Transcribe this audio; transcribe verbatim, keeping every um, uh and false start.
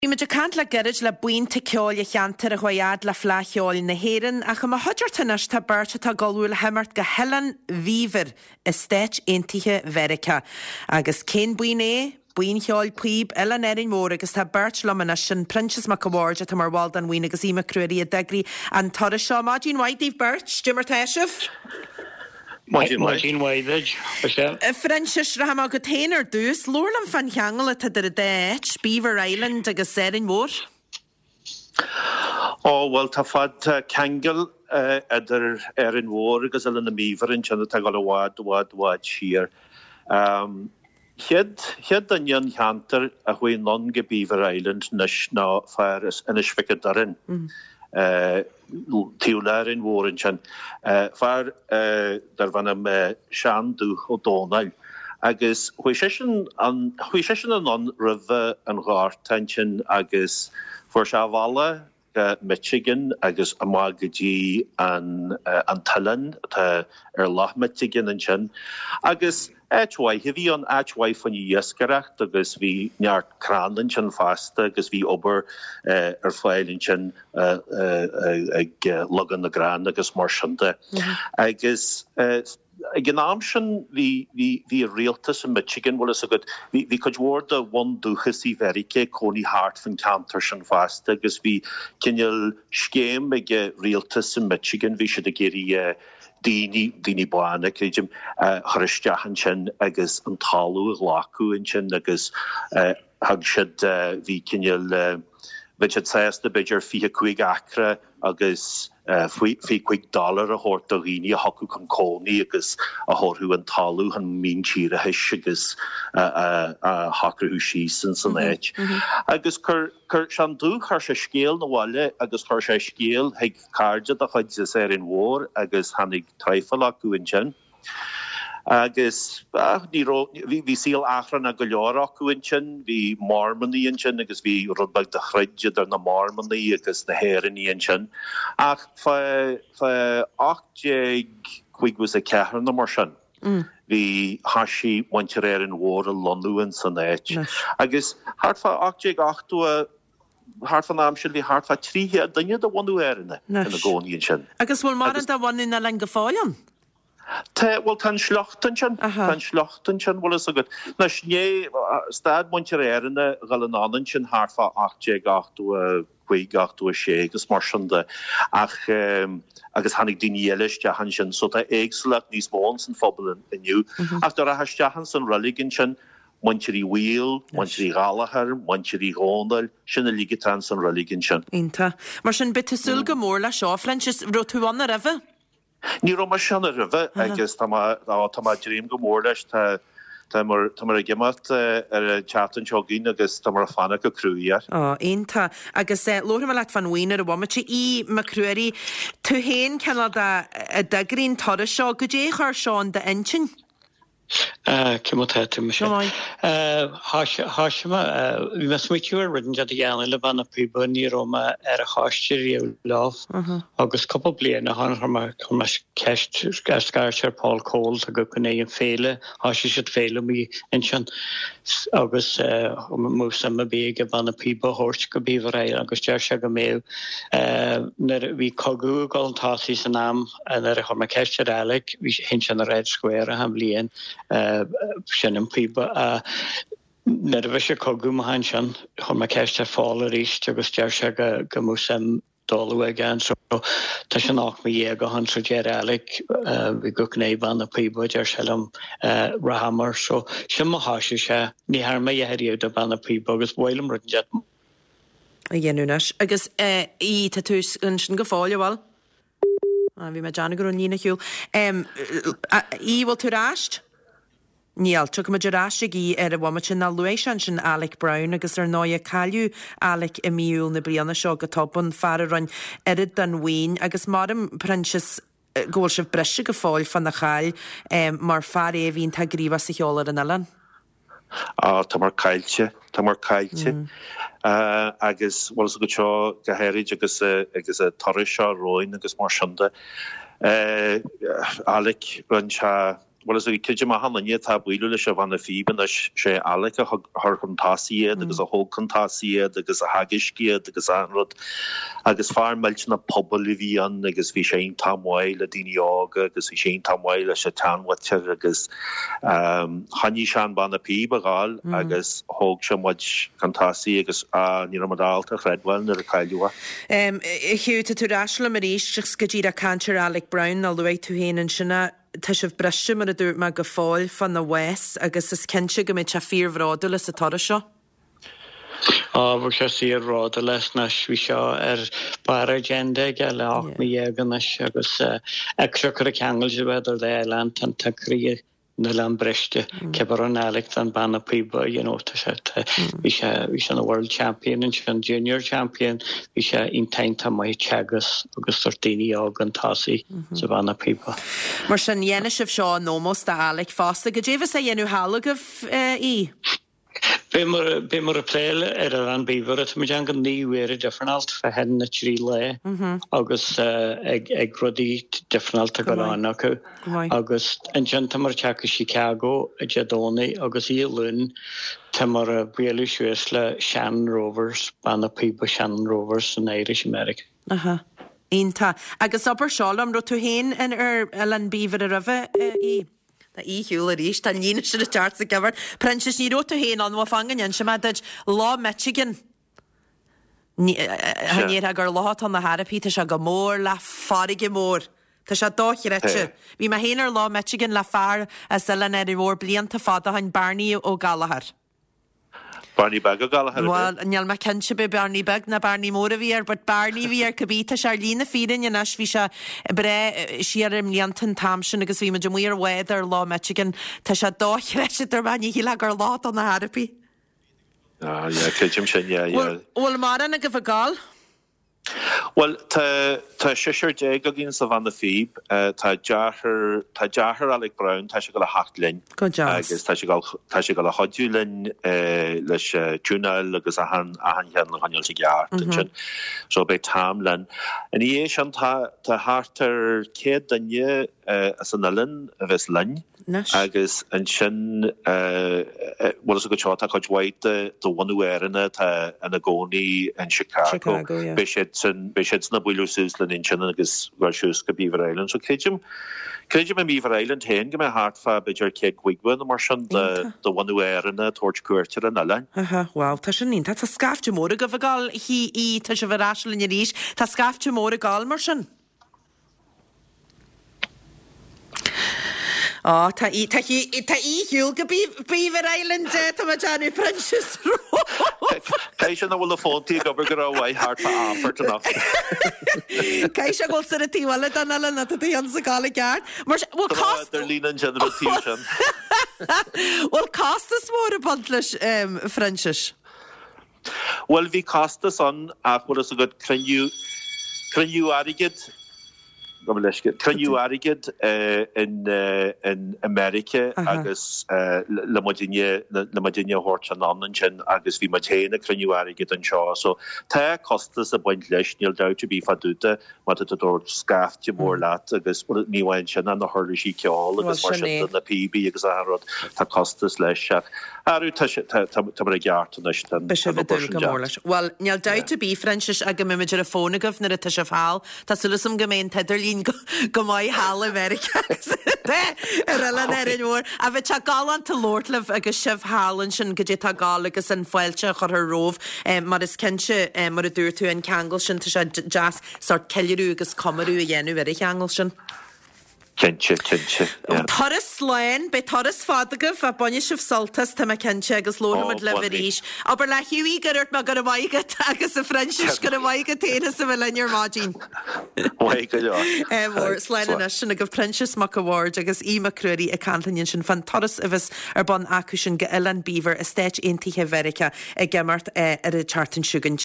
Bhí muid ag caint le gairid le buíonta ceoil an cheantair a chuaigh fhad le Fleadh Cheoil na hÉireann, ach i mo chuideachta anois tá beirt atá ag ullmhú le himeacht go hOileán Bheaver i Stáit Aontaithe Mheiriceá. Agus cén buíon é? Buíon Cheoil Píob Oileán Árainn Mhór agus tá beirt liom anois, sin Proinsias Mac a' Bhaird atá mar bhall den bhuíon agus Aodh Mac Ruairí a d'eagraigh an turas seo. Maidin mhaith daoibh beirt, Cad é mar tá sibh? Maidin mhaith duit, Michelle. A Phroinsiais, rachaidh mé chugat féin ar dtús. Labhair liom fán cheangal atá idir an dá áit, Beaver Island agus Árainn Mhór. Ó, bhuel, tá fad, tá ceangal idir Árainn Mhór agus Oileán na mBeaver ansin atá ag dul i bhfad, i bhfad, i bhfad siar. Chéad, chéad duine an cheantair a chuaigh anonn go Beaver Island anois ná fear as Inis Mhic a' Doirn. Taobh le Árainn Mhór ansin. Fear darbh ainm Seán Dubh Ó Dónaill. Agus chuaigh seisean, chuaigh seisean anonn roimhe an Ghorta ansin agus fuair sé a bhealach go Michigan agus amach go dtí an an t-oileán atá ar Loch Michigan ansin. Agus áit mhaith a bhí ann, áit mhaith faoin iascaireacht agus bhí neart crann ansin fosta agus bhí obair ar fáil ansin ag leagan na gcrann agus mar sin de. Agus ag an am sin bhí bhí bhí rialtas i Michigan, bhfuil fhios agat, bhí bhí cuid mhór de bhundúchasaigh Mheiriceá ag cónaí thart fan ceantar sin fosta agus bhí cineál scéim ag rialtas i Michigan, bhí siad ag iarraidh daoine, daoine bána, creidim, a chur isteach ansin agus an talamh a ghlacadh ansin agus thug siad, bhí cineál, bheadh siad sásta b'fhéidir fiche cúig acra agus fiche cúig dollar a thabhairt do dhaoine a thiocfadh chun cónaí agus a thabharfadh an talamh chun míntíreachais agus a shocrú síos in san áit. Agus chuir chuir Seán Dubh, chuir sé scéal 'na bhaile agus chuir sé scéal chuig cairde dá chuid as Árainn Mhór agus tháinig traidhfil acu ansin. Agus ní raibh, bhí saol achrannach go leor acu ansin, bhí Mormannaigh ansin agus bhí rud beag de throid idir na Mormannaigh agus na hÉireannaigh ansin. Ach fá fá ocht déag caoga is a ceathair nó mar sin, bhí, thoisigh muintir Árainn Mhór a lonnú in san áit. Agus thart fá ocht déag ochtó a, thart fán am sin bhí thart fá trí chéad duine de bhunadh Éireann ina gcónaí ansin. Agus bhfuil mórán de bhunadh na oileáin go fóill ann? Tá, bhuel tá an sliocht ansin, tá an sliocht ansin, bhfuil fhios agat. Anois, ní, stad muintir Éireann a dhul anonn ansin thart fá ocht déag ochtó a cúig, ochtó a sé agus mar sin de, ach, agus tháinig daoine eile isteach ansin, so tá éagsúlacht níos mó ins an phobal inniu. Ach dá rachfá isteach ins an reilig ansin, muintir Uí Bhaoill, muintir Uí Ghallchóir, muintir Uí Dhónaill, sin uilig atá ins an reilig ansin. Iontach. Mar sin, beidh tú ag súil go mór leis seo, Phroinsias, raibh tú ann roimhe? Ní raibh mise ann roimhe agus tá mé tá mé ag dréim go mór leis. Tá tá muid tá muid ag imeacht ar an tseachtain seo chugainn agus tá muid ag fanacht go cruaidh air. Ó, iontach. Agus labharfaidh mé leat fán bhuíon ar an bhomaite. Aodh Mac Ruairí, tú féin cineál de a d'eagraigh an turas seo, goidé a chuir seo in d'intinn? Cé mar tá tú, Michelle? Thoisigh mé, bhí mé ag smaoitiú ar rud inteacht a dhéanamh le banna píoba, ní raibh mé ar an choiste riamh leo agus cúpla bliain ó shin chuir mé chuir mé ceist ar scairt ar Paul Coles go gcoinneoidh an féile, thoisigh siad féile amuigh ansin agus mbeadh suim ar bith ag banna píoba a thabhairt go Beaver Island agus deir sé go mbeadh nuair a bhí cogadh ag dul chun tosaigh san am Nuair a chuir mé ceist ar Alec, bhí sheinn sé na Red Square achan bhliain, seinm píoba. Nuair a bhí sé cogadh amach ansin, chuir mé ceist ar Phól arís agus deir sé go go mbeadh suim dul aige ann. So tá sin ocht mí dhéag ó shin, so deir Alec, bhí go gné banna píoba, deir sé liom, rachamar. So sin mar thoisigh sé. Ní thearn mé a dhath ariamh de banna píoba agus ba mhaith liom rud inteacht a dhéanamh anois. Agus í, tá tú ansin go fóill, an bhfuil? Bhí mé ag déanamh go raibh an líne ar shiúl. Aodh, bhfuil tú ar ais? Níl. Tiocfaimid ar ais ag Aodh ar an bhomaite. Ná luaigh sé ansin Alec Brown agus ar ndóighe cailleadh Alec i mí Iúil na bliana seo go tobann, fear a rinne oiread don bhuíon agus maram, Proinsias, go bhfuil sibh briste go fóill fána chaill mar fear é a bhí iontach gníomhach sa cheol ar an oileán. Á, tá muid caillte, tá muid caillte. Agus, bhfuil fhios agat seo go háirid agus agus an turas seo romhainn agus mar sin de. Alec, rinne sé, Bhuel is creidim achan duine atá ag bualadh leis an bhanna phíob anois, sé Alec a chuir chun tosaigh iad agus a thóg chun tosaigh iad agus a theagaisc iad agus achan rud. Agus fear millteanach pobail a bhí ann agus bhí sé iontach maith le daoine óga agus bhí sé iontach maith leis an tseanmhuintir agus choinnigh sé an banna píob ag gabháil agus thóg sé muid chun tosaigh agus ní raibh muid ábalta a chreidbheáil nuair a cailleadh é. A Hugh, tá tú ar ais liom arís agus go díreach caint ar Alec Brown a luaigh tú féin ansin é. Tá sibh briste, mar a dúirt mé, go fóill fána bhás agus is cinnte go mbeidh sé fíorbhródúil as an toradh seo. Á, bheadh sé fíorbhródúil as anois. Bhí seo ar barr agenda aige le ocht mí dhéag anois agus ag seo cur ceangal de bheith ar oileán tá an croí an oileán briste. Cé an Alec an banna píob, you know, tá sé bhí sé bhí sé ina world champion ansin junior champion, bhí sé iontach maith teagasc agus sort daoine óg chun tosaigh sa bhanna píoba. Mar sin dhéanfaidh sibh seo in ómós do Alec fosta. Goidé bheas á dhéanamh thall agaibh í? Beidh muid ag plé ar Oileán Beaver tá muid an go naoi uaire difreáilte fá choinne na trí lá agus ag ag rudaí difreáilte go lán acu agus ansin tá muid ag teacht go Chicago Dé Domhnaigh agus Oíche Luain tá muid ag bualadh suas le Shannon Rovers banna píoba Shannon Rovers san Irish American. Aha. Iontach. Agus abair seo liom, raibh tú féin in ar Oileán Beaver roimhe í? Tá í shiúl arís, tá líne sin ag teacht sa gceamara. Proinsias, ní raibh tú féin ann, bhuel fan go n-inse mé duit, Loch Michigan. Cha ndéarfá gur loch atá ann ar chor ar bith, tá sé go mór le farraige mór. Tá sé dochreidte. Bhí mé féin ar Loch Michigan le fear as Oileán Árainn Mhór blianta fada ó shin, Barney Ó Gallchóir. Barney Beag Ó Gallchóir. Bhuel, níl mé cinnte b'é Barney Beag ná Barney Mór a bhí air, but Barney bhí air cibé. Tá sé ar shlí na fírinne anois, bhí sé breá siar i mblianta an t-am sin agus bhí muid amuigh ar bhád ar Loch Michigan. Tá sé dochreidte, dúirt mé, ní shílfeá gur loch atá ann ar chor ar bith. Ah, yeah, creidim sin, yeah, yeah. Bhfuil mórán agaibh ag gabháil? Bhuel, tá tá seisear déag againn sa bhanna phíob. Tá deartháir tá deartháir Alec Brown, tá sé ag dul a theacht linn. Go deas. Agus tá sé ag tá sé ag dul a chuidiú linn leis tiúnáil agus achan achan cheann a choinneáil i gceart ansin. So beidh Tom linn. Ina dhiaidh sin tá tá thart ar céad duine as an oileán a bheas linn. Anois. Agus ansin bhuel is go seo tá cuid mhaith de de bhunadh Éireann atá ina gcónaí in Chicago. Chicago, yeah. Beidh siad san beidh siad san ag bualadh suas linn ansin agus dul suas go Beaver Island. So creidim creidim i Beaver Island féin go mbeidh thart fá b'fhéidir céad caoga nó mar sin de Iontach. de bhunadh Éireann ag tabhairt cuairt ar an oileán. Aha, wow, tá sin iontach. Tá scaifte mór agaibh ag gabháil í, tá sibh ar ais linn arís. Tá scaifte mór ag gabháil mar sin. Á, tá í, tá í, tá í shiúl go Beaver Island, tá mé déanamh Proinsias romhaibh. Caithfidh sé nach bhfuil na fóntaí ag obair go rómhaith thart fá Fhearta anocht. Caithfidh sé go bhfuil sir an taobh eile den oileán atá tú ann sa gabháil i gceart. Mar sin, bhfuil Tá cost... ar líne ansin ar an taobh sin. Bhfuil costas mór ag baint leis, Phroinsias? Bhuel, bhí costas ann ach bhfuil fhios agat cruinniú, cruinniú airgid, gabh mo leithscéal, cruinniú airgid in, in America agus le muidinne, le muidinne a thabhairt anonn ansin agus bhí muid féin ag cruinniú airgid anseo. So tá costas ag baint leis, níl dabht ar bith fá dtaobh de má tá tú ag tabhairt scaifte mór leat agus ní amháin sin ach na huirlisí ceoil agus mar sin de, na píobaí agus achan rud, tá costas leis ach arú tá sé, tá, tá, tá muid i gceart anois, tá an Beidh sibh ag obair dúil sin go mór déanta. leis. Bhuel, níl dabht ar bith, Phroinsias, ach go mbeidh muid ar an bhfón agaibh nuair atá sibh thall. Tá súil agam go mbeidh an t-idirlíon go, go maith thall i Meiriceá agus ar Oileán Árainn Mhór. Ach bheadh sé galánta labhairt libh agus sibh thall ansin goidé atá ag gabháil agus an fáilte a chur romhaibh mar is cinnte, mar a dúirt tú, an ceangal sin, tá sé deas sórt ceiliúradh agus comóradh a dhéanamh ar an cheangal sin. Cinnte, cinnte, yeah. Turas slán, beidh turas fada agaibh, ach bainfidh sibh sult as, tá mé cinnte, agus labharfaimid Ó, libh bainfidh. arís. Abair le Hughie gur dhúirt mé go raibh maith agat agus a Phroinsias, go raibh maith agat féin as a bheith linn ar maidin. Maith go leor. Eh, mhór, slán Slán. anois, sin agaibh Proinsias Mac a' Bhaird agus Aodh Mac Ruairí ag caint linn ansin fán turas a bheas ar bun acu sin go Oileán Beaver i Stáit Aontaithe Mheiriceá ag imeacht eh, ar an tseachtain seo chugainn.